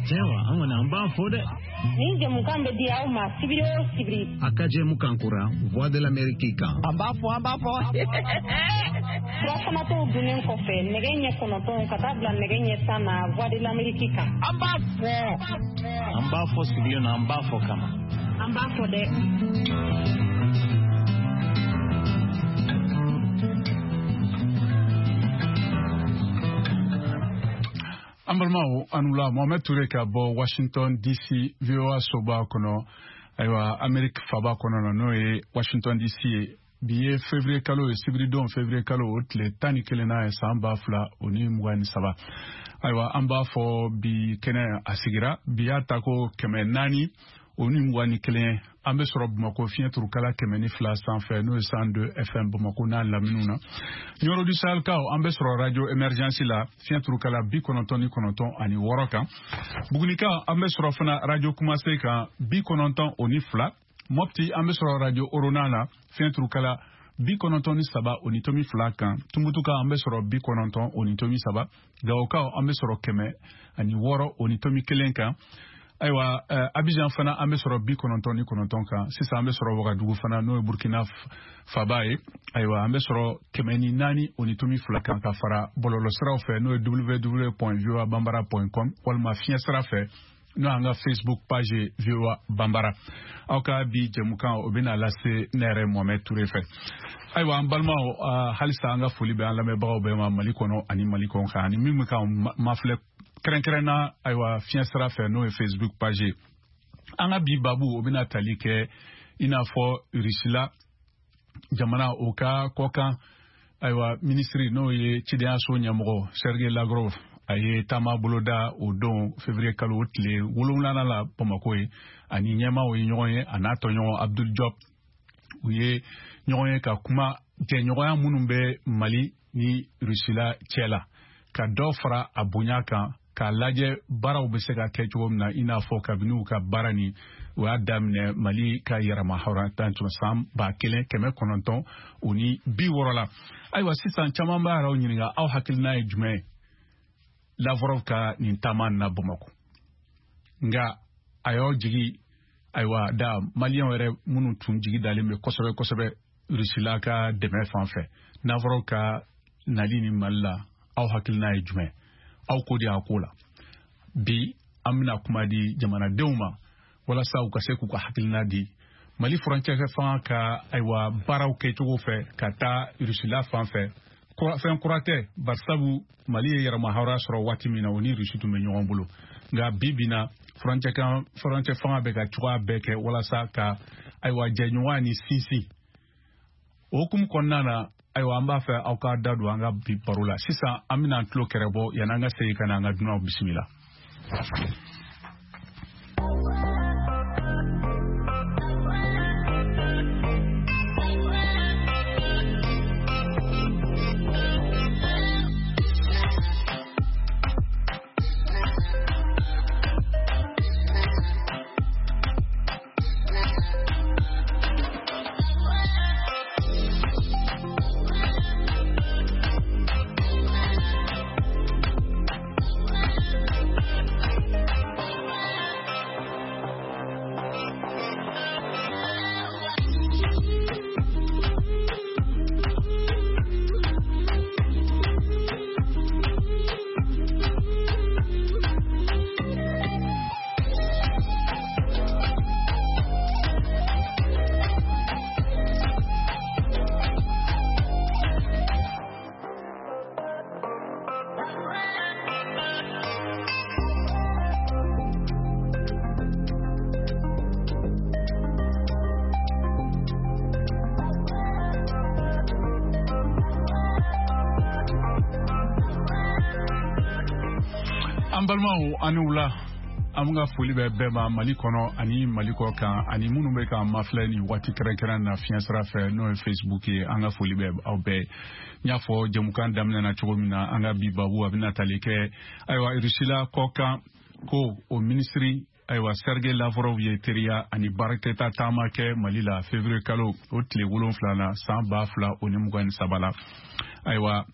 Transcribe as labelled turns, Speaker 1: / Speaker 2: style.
Speaker 1: Ayiwa, an kɔni an b'a fɔ dɛ.
Speaker 2: Nin jɛmukan bɛ di aw ma sibiri o sibiri.
Speaker 3: A ka jɛmukan kura Voix de l'Amérique kan.
Speaker 4: An b'a fɔ, an b'a fɔ.
Speaker 2: Surafanato dunnen kɔfɛ nɛgɛ ɲɛ 9 ka taa bila nɛgɛ ɲɛ 10 na Voix de l'Amérique kan.
Speaker 4: An b'a fɔ.
Speaker 1: An b'a fɔ sigilen na, an b'a fɔ kama.
Speaker 2: An b'a fɔ dɛ.
Speaker 5: An balimaw, an wula. Mohamed Toure ka bɔ Washington DC, VOA soba kɔnɔ, ayiwa, Amerique faba kɔnɔ na, n'o ye Washington DC ye. Bi ye février kalo ye, sibiridon février kalo o tile 11nan ye, san 2023. Ayiwa, an b'a fɔ bi kɛnɛ a sigira, bi y'a ta ko 421. An bɛ sɔrɔ Bamakɔ fiɲɛ turukala 102 sanfɛ, n'o ye 102 FM Bamakɔ n'a laminiw na. Nioro du Sahelkaw, an bɛ sɔrɔ radio Emergence la, fiɲɛ turukala 99.6 kan. Bugunikaw, an bɛ sɔrɔ fana radio Kumase kan, 92. Mopti, an bɛ sɔrɔ radio Orona la, fiɲɛ turukala 93.2 kan. Tumutukaw, an bɛ sɔrɔ 90.3. Gawokaw, an bɛ sɔrɔ 106.1 kan. Ayiwa, Abidjan fana, an bɛ sɔrɔ 99 kan. Sisan an bɛ sɔrɔ Wagadugu fana, n'o ye Burkina faba ye. Ayiwa, an bɛ sɔrɔ 104.2 kan, ka fara bɔlɔlɔsiraw fɛ, n'o ye www.voabambara.com, walima fiɲɛ sira fɛ, n'o y'an ka Facebook page ye, VOA Bambara. Aw ka bi jɛmukan, o bɛna lase ne yɛrɛ Mohamed Toure fɛ. Ayiwa, an balimaw, halisa an ka foli bɛ an lamɛnbagaw bɛɛ ma Mali kɔnɔ ani Mali kɔnɔ kan, ani min bɛ k'an mafilɛ kɛrɛnkɛrɛnna, ayiwa, fiɲɛ sira fɛ, n'o ye Facebook page ye. An ka bi babu, o bɛna tali kɛ i n'a fɔ Rusila jamana, o ka kɔkan, ayiwa, minisiri, n'o ye cidenyaso ɲɛmɔgɔ Sergei Lavrov, a ye taama boloda o don février kalo o tile 7nan la Bamakɔ ye. Ani ɲɛmaaw ye ɲɔgɔn ye, a n'a tɔɲɔgɔn Abdul Diop, u ye ɲɔgɔn ye ka kuma jɛɲɔgɔnya minnu bɛ Mali ni Rusila cɛ la, ka dɔ fara a bonya kan, k'a lajɛ baaraw bɛ se ka kɛ cogo min na, i n'a fɔ kabini u ka baara nin u y'a daminɛ Mali ka yɛrɛma hɔrɔnya san 1960 la. Ayiwa, sisan caman b'a yɛrɛw ɲininka, aw hakilina ye jumɛn ye Lavrov ka nin taama na Bamakɔ? Nka a y'aw jigi, ayiwa, da maliyɛnw yɛrɛ minnu tun jigi dalen bɛ kosɛbɛ kosɛbɛ Rusila ka dɛmɛ fan fɛ, Lavrov ka nali ni Mali la, aw hakilina ye jumɛn? Aw ko di a ko la? Bi an bɛna kuma di jamanadenw ma walasa u ka se k'u ka hakilina di Mali furancɛ fanga ka, ayiwa, baaraw kɛcogo fɛ ka taa Rusila fan fɛ. Fɛn kura tɛ, barisabu Mali ye yɛrɛma hɔrɔnya sɔrɔ waati min na, o ni Rusi tun bɛ ɲɔgɔn bolo. Nka bi bi na, furancɛ fanga bɛ ka cogoya bɛɛ kɛ walasa ka, ayiwa, jɛɲɔgɔnya ni sinsin. O hukumu kɔnɔna na, ayiwa, an b'a fɛ aw ka da don an ka bi baro la. Sisan an bɛna an tulo kɛrɛ bɔ yanni an ka segin ka na an ka dunanw bisimila. An balimaw, an ni wula. An ka foli bɛ bɛɛ ma Mali kɔnɔ ani Mali kɔ kan, ani minnu bɛ k'an mafilɛ nin waati kɛrɛnkɛrɛn na fiɲɛ sira fɛ, n'o ye Facebook ye. An ka foli bɛ aw bɛɛ. N y'a fɔ jɛmukan daminɛ na cogo min na, an ka bi babu, a bɛna tali kɛ, ayiwa, Rusila kɔkan ko o minisiri, ayiwa, Sergei Lavrov ye teriya ani baarakɛta taama kɛ Mali la février kalo o tile 7 na, san 2023 la. Ayiwa.